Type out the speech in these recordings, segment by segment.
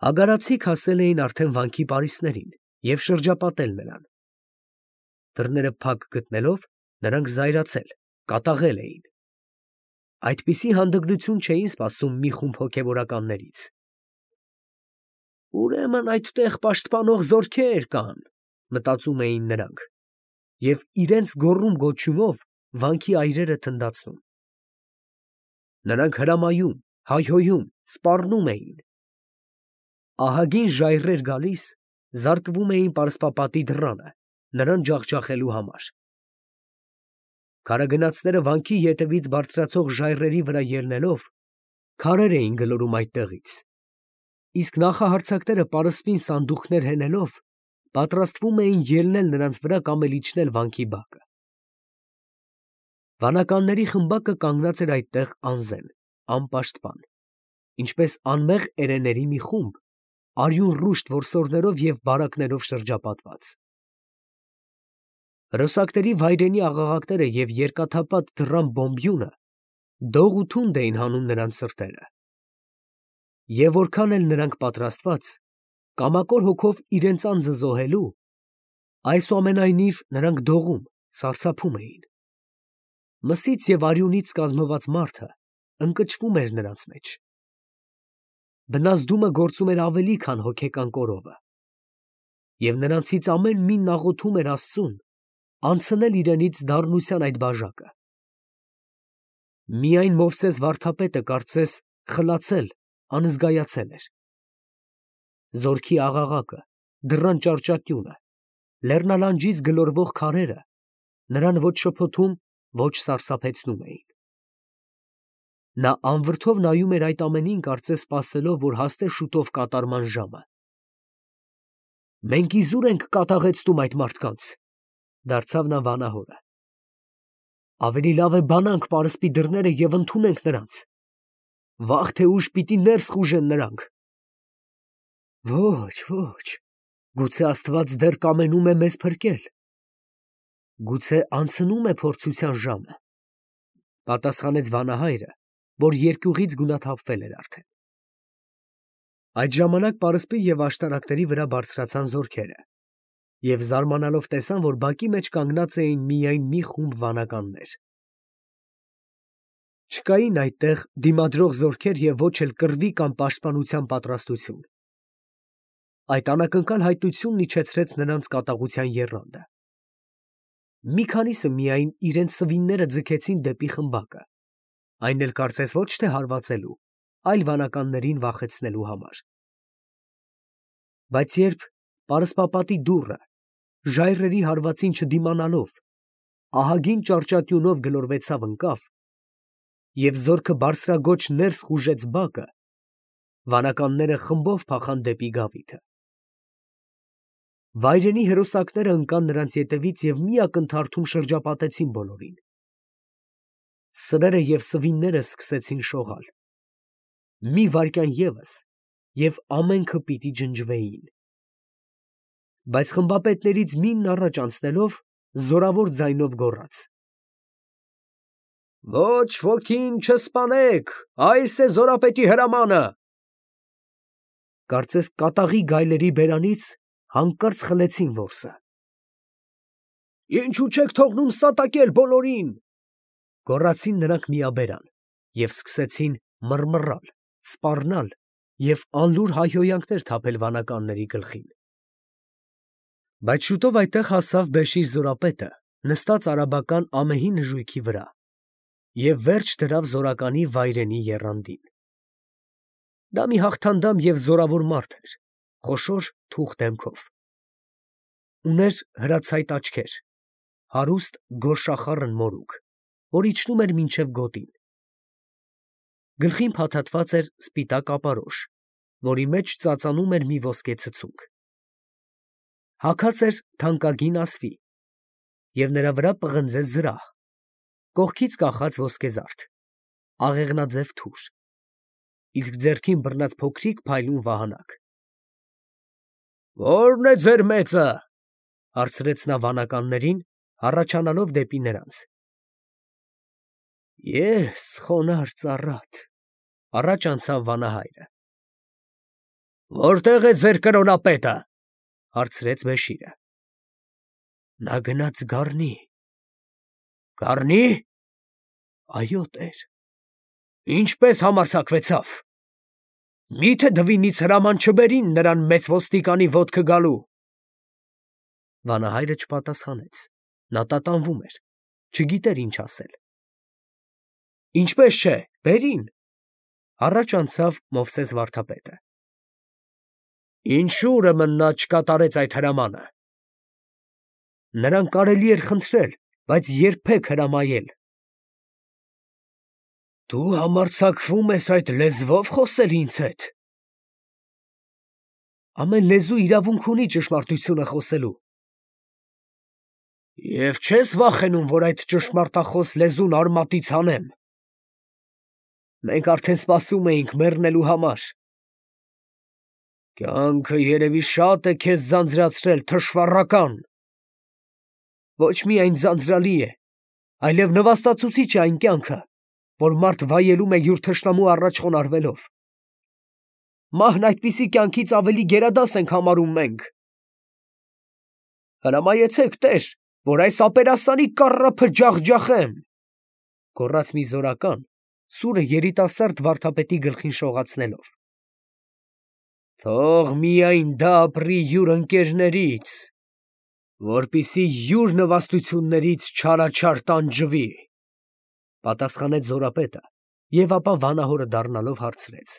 Ագարացիք հասել էին արդեն վանքի պարիսպներին և շրջապատել նրան։ Դռները փակ գտնելով, նրանք զայրացել, կատաղել էին։ Այդպիսի հանդգնություն չէին սպասում մի խումբ հոգևորականներից։ «Ուրեմն այդտեղ պաշտպանող զորքեր կան», մտածում էին նրանք, և իրենց գոռում֊գոչյունով վանքի այրերը թնդացնում։ Նրանք հրամայում, հայհոյում, սպառնում էին։ Ահագին ժայռեր գալիս, զարկվում էին պարսպապատի դռանը, նրան ջախջախելու համար։ Քարագնացները վանքի ետևից բարձրացող ժայռերի վրա ելնելով, քարեր էին գլորում այդտեղից, իսկ նախահարձակները պարսպին սանդուղքներ հենելով, պատրաստվում էին ելնել նրանց վրա կամ էլ իջնել վանքի բակը։ Վանականների խմբակը կանգնած էր այդտեղ անզեն, անպաշտպան, ինչպես անմեղ էրեների մի խումբ, արյուն ռուշտ որսորդներով և բարակներով շրջապատված։ Հրոսակների վայրենի աղաղակները և երկաթափած դռան բոմբյունը դող ու թունդ էին հանում նրանց սրտերը։ Եվ որքան էլ նրանք պատրաստված, կամակոր հոգով իրենց անձը զոհելու, այսուամենայնիվ նրանք դողում, սարսափում էին։ Մսից և արյունից կազմված մարդը ընկճվում էր նրանց մեջ։ Բնազդումը գործում էր ավելի, քան հոգեկան կորովը, և նրանցից ամեն մինն աղոթում էր Աստծուն անցնել իրենից դառնության այդ բաժակը։ Միայն Մովսես վարդապետը կարծես խլացել, անզգայացել էր։ Զորքի աղաղակը, դռան ճարճատյունը, լեռնալանջից գլորվող քարերը նրան ոչ շփոթում, ոչ սարսափեցնում էին։ Նա անվրդով նայում էր այդ ամենին, կարծես սպասելով, որ հասնե շուտով կատարման ժամը։ «Մենք իզուր ենք կատաղեցնում այդ մարդկանց», դարձավ նա վանահորը։ «Ավելի լավ է բանանք պարսպի դռները և ընդունենք նրանց. վաղ թե ուշ պիտի ներս խուժեն նրանք»։ «Ոչ, ոչ, գուցե Աստված դեռ կամենում է մեզ փրկել, գուցե անցնում է փորձության ժամը», պատասխանեց վանահայրը, որ երկյուղից գունաթափվել էր արդեն։ Այդ ժամանակ պարսպի և աշտարակների վրա բարձրացան զորքերը, և զարմանալով տեսան, որ բակի մեջ կանգնած էին միայն մի խումբ վանականներ։ Չկային այդտեղ դիմադրող զորքեր և ոչ էլ կռվի կամ պաշտպանության պատրաստություն։ Այդ անակնկալ հայտնությունն իջեցրեց նրանց կատաղության եռանդը։ Մի քանիսը միայն իրենց սվինները ձգեցին դեպի խմբակը, այն էլ կարծես ոչ թե հարվածելու, այլ վանականներին վախեցնելու համար։ Բայց երբ պարսպապատի դուռը, ժայռերի հարվածին չդիմանալով, ահագին ճարճատյունով գլորվեցավ ընկավ, և զորքը բարձրաձոչ ներս խուժեց բակը, վանականները խմբով փախան դեպի գավիթը։ Վայրենի հրոսակները ընկան նրանց ետևից և մի ակնթարթում շրջապատեցին բոլորին։ Սրերը և սվինները սկսեցին շողալ։ Մի վայրկյան ևս, և ամենքը պիտի ջնջվեին։ Բայց խմբապետներից մինն առաջ անցնելով, զորավոր ձայնով գոռաց. «Ոչ ոքին չսպանեք, այս է զորապետի հրամանը»։ Կարծես կատաղի գայլերի բերանից հանկարծ խլեցին որսը։ «Ինչո՞ւ չեք թողնում սատակել բոլորին», գոռացին նրանք միաբերան և սկսեցին մռմռալ, սպառնալ և անլուր հայհոյանքներ թափել վանականների գլխին։ Բայց շուտով այդտեղ հասավ Բեշիր զորապետը, նստած արաբական ամեհի նժույգի վրա, և վերջ դրավ զորականի վայրենի եռանդին։ Դա մի հաղթանդամ և զորավոր մարդ էր, խոշոր թուխ դեմքով։ Ուներ հրացայտ աչքեր, հարուստ գորշախառն մորուք, որ իջնում էր մինչև գոտին։ Գլխին փաթաթված էր սպիտակ ապարոշ, որի մեջ ծածանում էր մի ոսկե ցցուկ։ Հագած էր թանկագին ասվի, և նրա վրա պղնձե զրահ, կողքից կախած ոսկեզարդ, աղեղնաձև թուր, իսկ ձեռքին բռնած փոքրիկ փայլուն վահանակ։ «Ո՞րն է ձեր մեծը», հարցրեց նա վանականներին, հառաչանալով դեպի նրանց։ «Ես, խոնարհ ծառատ», առաջ անցավ վանահայրը։ Որտե՞ղ է ձեր կրոնապետը, հարցրեց Բեշիրը։ Նա գնաց գառնի։ Գառնի։ Այո, տեր։ Ինչպես համարձակվեցավ։ Միթե դվինից հրաման չբերին նրան մեծ ոստիկանի ոտքը գալու։ Վանահայրը չպատասխանեց։ Նա տատանվում էր, չգիտեր ինչ ասել։ Ինչպես չէ, բերին, առաջ անցավ Մովսես վարդապետը։ Ինչու ուրեմն նա չկատարեց այդ հրամանը։ Նրան կարելի էր խնդրել, բայց երբեք հրամայել։ Դու համարձակվում ես այդ լեզվով խոսել ինձ հետ։ Ամեն լեզու իրավունք ունի ճշմարտությունը խոսելու։ Եվ չես վախենում, որ այդ ճշմարտախոս լեզուն արմատից հանեմ։ Մենք արդեն սպասում էինք մեռնելու համար։ Կյանքը երևի շատ է քեզ ձանձրացրել, թշվառական։ Ոչ միայն ձանձրալի է, այլև նվաստացուցիչ է այն կյանքը, որ մարդ վայելում է յուր թշնամու առաջ խոնարհվելով։ Մահն այդպիսի կյանքից ավելի գերադաս ենք համարում մենք։ Հրամայեցեք, տեր, որ այս ապերասանի կառափը ջախջախեմ, գոռաց մի զորական, սուրը երիտասարդ վարդապետի գլխին շողացնելով։ Թող միայն դա ապրի յուր ընկերներից, որպիսի յուր նվաստություններից չարաչար տանջվի, պատասխանեց զորապետը և ապա վանահորը դառնալով հարցրեց.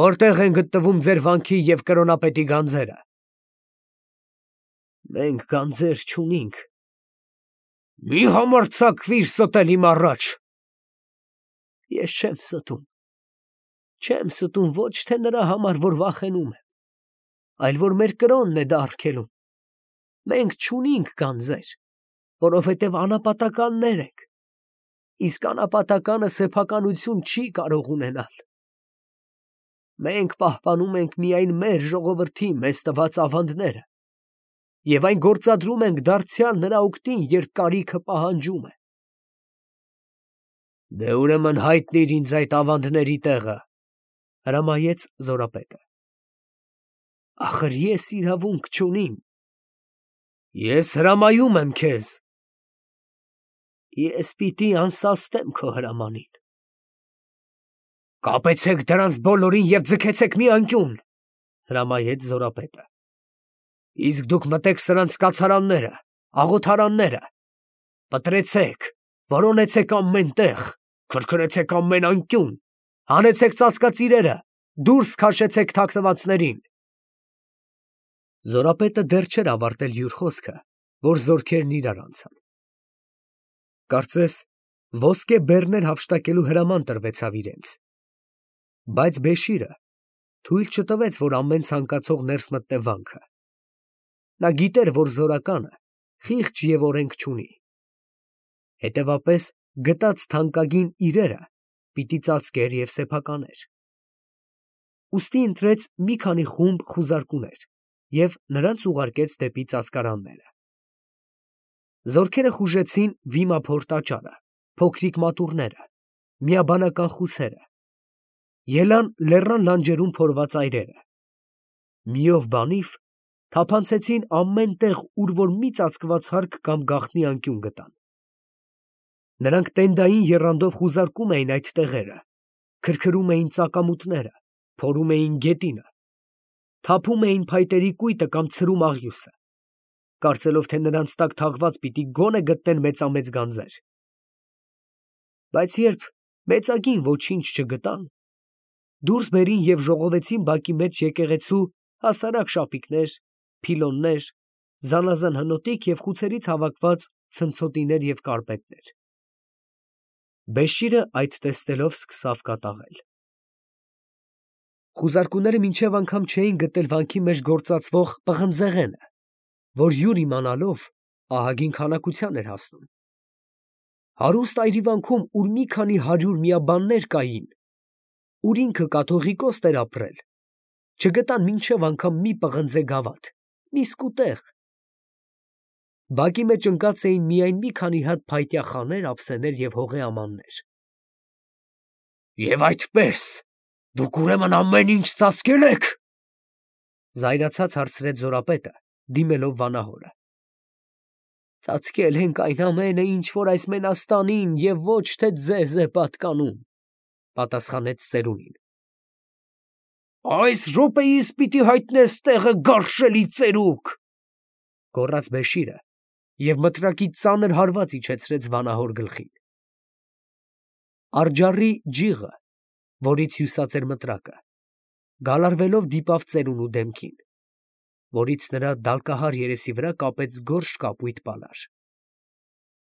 Որտեղ են գտնվում ձեր վանքի և կրոնապետի գանձերը։ Մենք գանձեր չունենք։ Մի համարձակվիր ստել իմ առաջ։ Ես չեմ ստում։ Չեմ ստում ոչ թե նրա համար, որ վախենում եմ, այլ որ մեր կրոնն է դա արգելում։ Մենք չունենք գանձեր, որովհետև անապատականներ ենք, իսկ անապատականը սեփականություն չի կարող ունենալ։ Մենք պահպանում ենք միայն մեր ժողովրդի մեզ տված ավանդները և այն գործադրում ենք դարձյալ նրա օգտին, երբ կարիքը պահանջում է։ Դե ուրեմն հայտնիր ինձ այդ ավանդների տեղը, հրամայեց զորապետը։ Ախր ես իրավունք չունիմ։ Ես հրամայում եմ քեզ։ Ես պիտի անսաստեմ քո հրամանին։ Կապեցեք դրանց բոլորին և ձգեցեք մի անկյուն, հրամայեց զորապետը։ Իսկ դուք մտեք սրանց կացարանները, աղոթարանները, պտրեցեք, որոնեցեք ամեն տեղ, քրքրեցեք ամեն անկյուն, հանեցեք ծածկածիրերը, դուրս քաշեցեք թաքնվածներին։ Զորապետը դեռ չէր ավարտել յուր խոսքը, որ զորքերն իրար անցան։ Կարծես ոսկե բեռներ հափշտակելու հրաման տրվեցավ իրենց։ Բայց Բեշիրը թույլ չտվեց, որ ամեն ցանկացող ներս մտնե վանքը։ Նա գիտեր, որ զորականը խիղճ և օրենք չունի։ Հետևապես գտած թանկագին իրերը պիտի ծածկեր և սեփականեր։ Ուստի ընտրեց մի քանի խումբ խուզարկուներ և նրանց ուղարկեց դեպի ծածկարանները։ Զորքերը խուժեցին վիմափոր տաճարը, փոքրիկ մատուռները, միաբանական խուսերը, ելան լեռան լանջերում փորված այրերը։ Միով բանիվ թափանցեցին ամեն տեղ, ուր որ մի ծածկված հարկ կամ գաղտնի անկյուն գտան։ Նրանք տենդային եռանդով խուզարկում էին այդ տեղերը, քրքրում էին ծակամուտները, փորում էին գետինը, թափում էին փայտերի կույտը կամ ցրում աղյուսը, կարծելով, թե նրանց տակ թաղված պիտի գոնե գտնեն մեծամեծ գանձեր։ Բայց երբ մեծագին ոչինչ չգտան, դուրս բերին և ժողովեցին բակի մեջ եկեղեցու հասարակ շապիկներ, փիլոններ, զանազան հնոտիկ և խուցերից հավաքված ցնցոտիներ և կարպետներ։ Բեշիրը այդ տեսնելով սկսավ կատաղել։ Խուզարկուները մինչև անգամ չէին գտել վանքի մեջ գործածվող պղնձեղենը, որ յուր իմանալով ահագին քանակության էր հասնում։ Հարուստ այրիվանքում, ուր մի քանի 100 միաբաններ կային, ուր ինքը կաթողիկոս էր ապրել, չգտան մինչև անգամ մի պղնձե գավաթ, մի սկուտեղ։ Բակի մեջ ընկած էին միայն մի քանի հատ փայտյա խաներ, ափսեներ և հողե ամաններ։ Եվ այդպես Դուք ուրեմն ամեն ինչ ծածկել եք։ Զայրացած հարցրեց զորապետը, դիմելով վանահորը։ Ծածկել ենք այն ամենը, ինչ որ այս մենաստանին և ոչ թե ձեզ է պատկանում, պատասխանեց ծերունին։ Այս րոպեիս պիտի հայտնես տեղը, գարշելի ծերուկ, գոռաց Բեշիրը և մտրակի ծանր հարված իջեցրեց վանահոր գլխին։ Արջառի ջիղը, որից հյուսած էր մտրակը, գալարվելով դիպավ ծերունու դեմքին, որից նրա դալկահար երեսի վրա կապեց գորշ կապույտ պալար։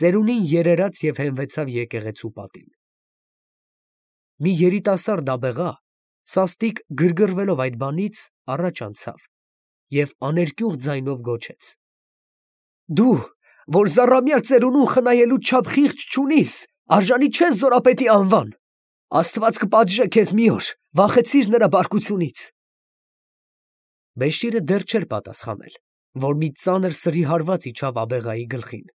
Ծերունին երերաց և հենվեցավ եկեղեցու պատին։ Մի երիտասարդ աբեղա, սաստիկ գրգռվելով այդ բանից, առաջ անցավ և աներկյուղ ձայնով գոչեց. Դու, որ զառամյալ ծերունուն խնայելու չափ խիղճ չունիս, արժանի չես զորապետի անվան, Աստված կպատժե քեզ մի օր, վախեցիր նրա բարկությունից։ Բեշիրը դեռ չէր պատասխանել, որ մի ծանր սրի հարված իջավ աբեղայի գլխին,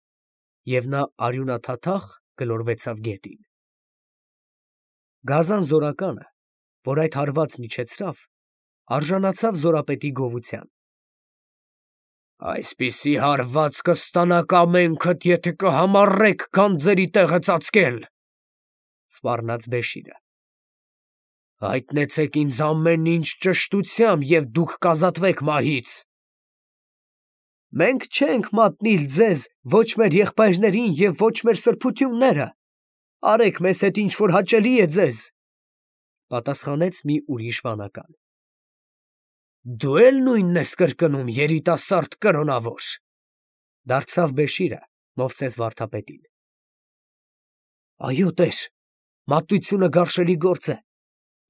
և նա արյունաթաթախ գլորվեցավ գետին։ Գազան զորականը, որ այդ հարվածն իջեցրավ, արժանացավ զորապետի գովության։ Այսպիսի հարված կստանաք ամենքդ, եթե կհամառեք գանձերի տեղը ծածկել, սպառնաց Բեշիրը։ Հայտնեցեք ինձ ամեն ինչ ճշտությամբ, և դուք կազատվեք մահից։ Մենք չենք մատնիլ ձեզ ոչ մեր եղբայրներին և ոչ մեր սրբությունները, արեք մեզ հետ ինչ որ հաճելի է ձեզ, պատասխանեց մի ուրիշ վանական։ Դու էլ նույնն ես կրկնում, երիտասարդ կրոնավոր, դարձավ Բեշիրը Մովսես վարդապետին։ Այո, տեր, մատույցությունը գարշելի գործ է,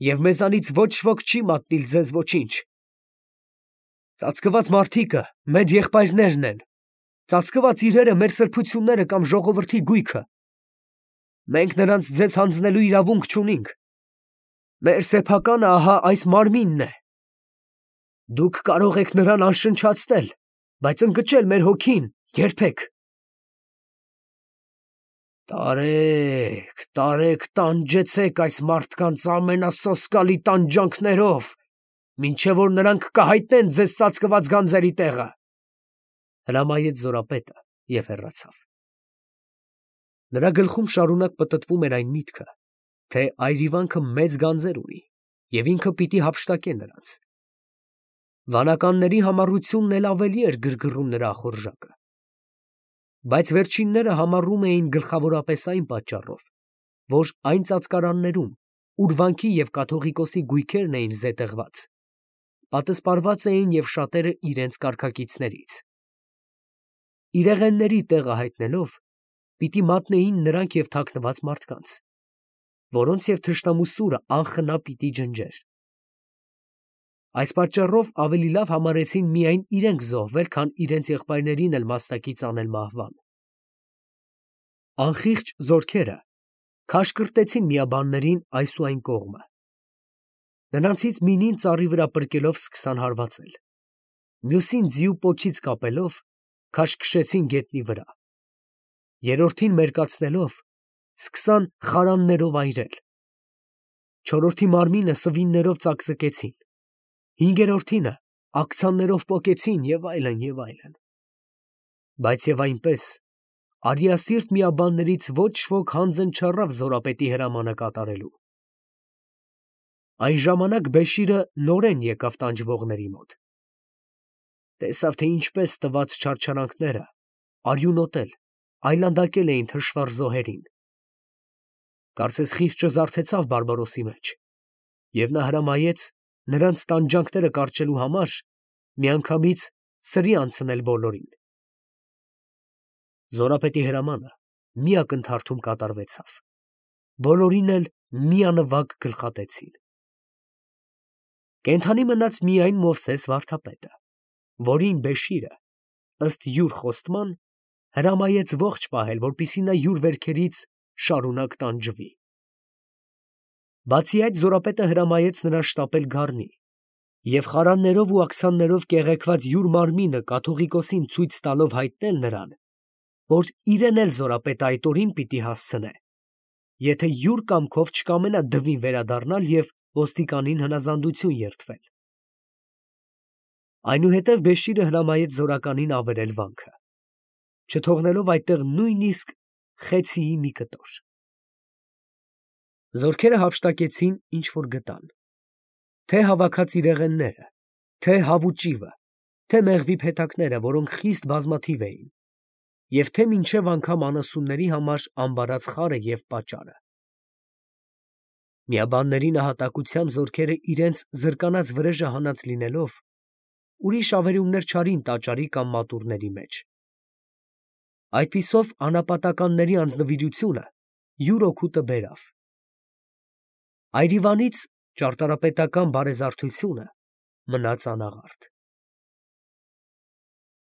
և մեզանից ոչ ոք չի մատնիլ ձեզ ոչինչ։ Ծածկված մարդիկը մեր եղբայրներն են, ծածկված իրերը մեր սրբությունները կամ ժողովրդի գույքը։ Մենք նրանց ձեզ հանձնելու իրավունք չունենք։ Մեր սեփականը ահա այս մարմինն է։ Դուք կարող եք նրան անշնչացնել, բայց ընկճել մեր հոգին երբեք։ Տարեք, տարեք, տանջեցեք այս մարդկանց ամենասոսկալի տանջանքներով, մինչև որ նրանք կհայտնեն ձեզ ծածկված գանձերի տեղը, հրամայեց զորապետը և հեռացավ։ Նրա գլխում շարունակ պտտվում էր այն միտքը, թե այրիվանքը մեծ գանձեր ունի, և ինքը պիտի հափշտակե նրանց։ Վանականների համառությունն էլ ավելի էր գրգռում նրա ախորժակը։ Բայց վերջինները համառում էին գլխավորապես այն պատճառով, որ այն ծածկարաններում, ուր վանքի և կաթողիկոսի գույքերն էին զետեղված, պատսպարված էին և շատերը իրենց կարգակիցներից։ Իրեղենների տեղը հայտնելով, պիտի մատնեին նրանք և թաքնված մարդկանց, որոնց և թշնամու սուրը անխնա պիտի ջնջեր։ Այս պատճառով ավելի լավ համարեցին միայն իրենք զոհվել, քան իրենց եղբայրներին էլ մասնակից անել մահվան։ Անխիղճ զորքերը քաշ կրտեցին միաբաններին այս ու այն կողմը։ Նրանցից մինին ծառի վրա պրկելով սկսան հարվածել, մյուսին ձիու պոչից կապելով քաշ քշեցին գետնի վրա, երրորդին մերկացնելով սկսան խարաններով այրել, չորրորդի մարմինը սվիններով ծակծկեցին, հինգերորդինը աքցաններով պոկեցին և այլն, և այլն։ Բայց և այնպես արիասիրտ միաբաններից ոչ ոք հանձն չառավ զորապետի հրամանը կատարելու։ Այն ժամանակ Բեշիրը նորեն եկավ տանջվողների մոտ։ Տեսավ, թե ինչպես տված չարչարանքները արյունոտել, այլանդակել էին թշվառ զոհերին։ Կարծես խիղճը զարթեցավ Բարբարոսի մեջ, և նա հրամայեց նրանց տանջանքները կարճելու համար միանգամից սրի անցնել բոլորին։ Զորապետի հրամանը մի ակնթարթում կատարվեցավ, բոլորին էլ միանվագ գլխատեցին։ Կենդանի մնաց միայն Մովսես վարդապետը, որին Բեշիրը, ըստ յուր խոստման, հրամայեց ողջ պահել, որպեսզի նա յուր վերքերից շարունակ տանջվի։ Բացի այդ, զորապետը հրամայեց նրան շտապել գառնի և խարաններով ու աքսաններով կեղեքված յուր մարմինը կաթողիկոսին ցույց տալով հայտնել նրան, որ իրեն էլ զորապետը այդ օրին պիտի հասցնե, եթե յուր կամքով չկամենա դվին վերադառնալ և ոստիկանին հնազանդություն երդվել։ Այնուհետև Բեշիրը հրամայեց զորականին ավերել վանքը, չթողնելով այդտեղ նույնիսկ խեցիի մի կտոր։ Զորքերը հափշտակեցին, ինչ որ գտան, թե հավաքած իրեղենները, թե հավուճիվը, թե մեղվի փեթակները, որոնք խիստ բազմաթիվ էին, և թե մինչև անգամ անասունների համար ամբարած խարը և պաճառը։ Միաբանների նահատակությամբ զորքերը իրենց զրկանած վրեժը հանած լինելով, ուրիշ ավերումներ չարին տաճարի կամ մատուռների մեջ։ Այդպիսով անապատականների անձնվիրությունը յուր օգուտը բերավ։ Այրիվանից ճարտարապետական բարեզարդությունը մնաց անաղարտ։